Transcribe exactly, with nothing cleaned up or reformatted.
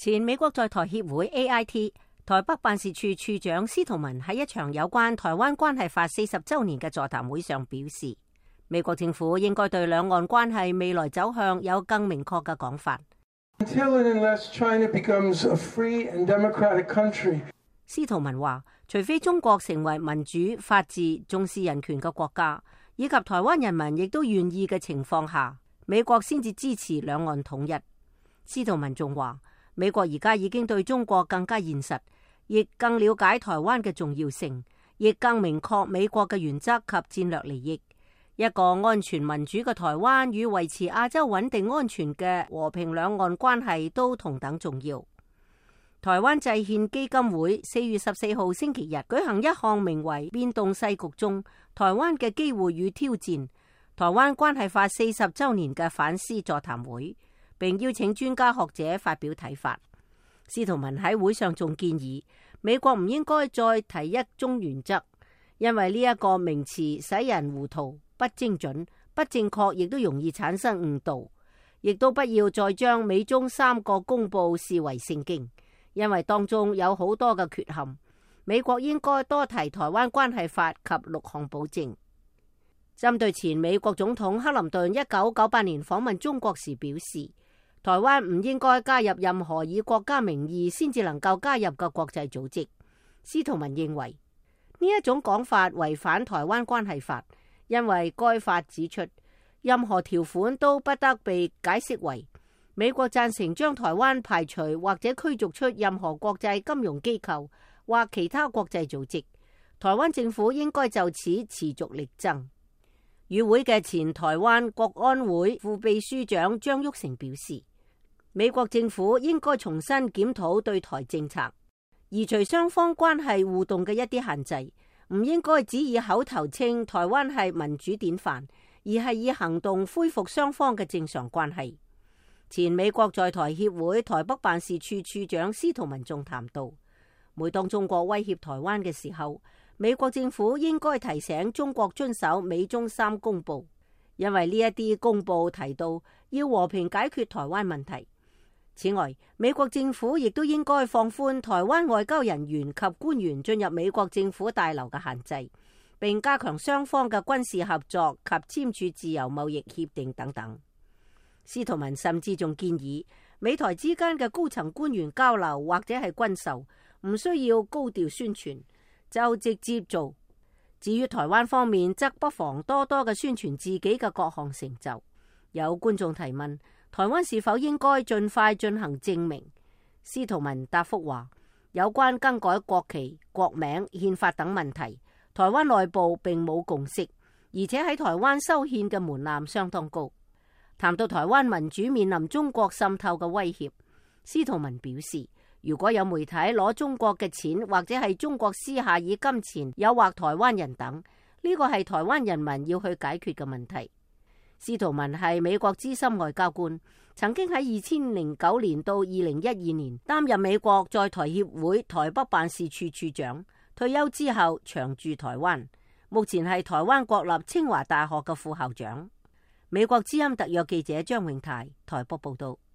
前美國在台協會 A I T 台北辦事處處長司徒文喺一場有關台灣關係法四十週年嘅座談會上表示，美國政府應該對兩岸關係未來走向有更明確嘅講法。Until and unless China becomes a free and democratic country，司徒文話，除非中國成為民主、法治、重視人權嘅國家，以及台灣人民亦都願意嘅情況下，美國先至支持兩岸統一。司徒文仲話，美國而家已經對中國更加現實，亦更了解台灣嘅重要性，亦更明確美國嘅原則及戰略利益。一個安全民主嘅台灣與維持亞洲穩定安全嘅和平兩岸關係都同等重要。台灣制憲基金會四月十四號星期日舉行一項名為《變動世局中台灣嘅機會與挑戰：台灣關係法四十週年》嘅反思座談會，並邀請專家學者發表睇法。司徒文喺會上仲建議美國唔應該再提一中原則，因為呢一個名詞使人糊塗、不精準、不正確，亦都容易產生誤導。亦都不要再將美中三個公報視為聖經，因為當中有好多嘅缺陷。美國應該多提台灣關係法及六項保證。針對前美國總統克林頓一九九八年訪問中國時表示，台灣唔應該加入任何以國家名義先至能夠加入嘅國際組織。司徒文認為呢一種講法違反台灣關係法，因為該法指出，任何條款都不得被解釋為美國贊成將台灣排除或者驅逐出任何國際金融機構或其他國際組織。台灣政府應該就此持續力爭。與會嘅前台灣國安會副秘書長張玉成表示，美國政府應該重新檢討對台政策，移除雙方關係互動嘅一啲限制，唔應該只以口頭稱台灣係民主典範，而係以行動恢復雙方嘅正常關係。前美國在台協會台北辦事處處長司徒文仲談到，每當中國威脅台灣嘅時候，美國政府應該提醒中國遵守美中三公報，因為呢一啲公報提到要和平解決台灣問題。此外，美國政府亦都應該放寬台灣外交人員及官員進入美國政府大樓嘅限制，並加強雙方嘅軍事合作及簽署自由貿易協定等等。司徒文甚至仲建議美台之間嘅高層官員交流或者係軍售，唔需要高調宣傳，就直接做。至於台灣方面，則不妨多多嘅宣傳自己嘅各項成就。有觀眾提問，台灣是否應該盡快進行正名？司徒文答覆話，有關更改國旗、國名、憲法等問題，台灣內部並冇共識，而且喺台灣修憲嘅門檻相當高。談到台灣民主面臨中國滲透嘅威脅，司徒文表示，如果有媒體攞中國嘅錢，或者係中國私下以金錢誘惑台灣人等，呢個係台灣人民要去解決嘅問題。司徒文係美國資深外交官，曾經喺二千零九年到二零一二年擔任美國在台協會台北辦事處處長，退休之後長駐台灣，目前係台灣國立清華大學嘅副校長。美國之音特約記者張永泰台北報道。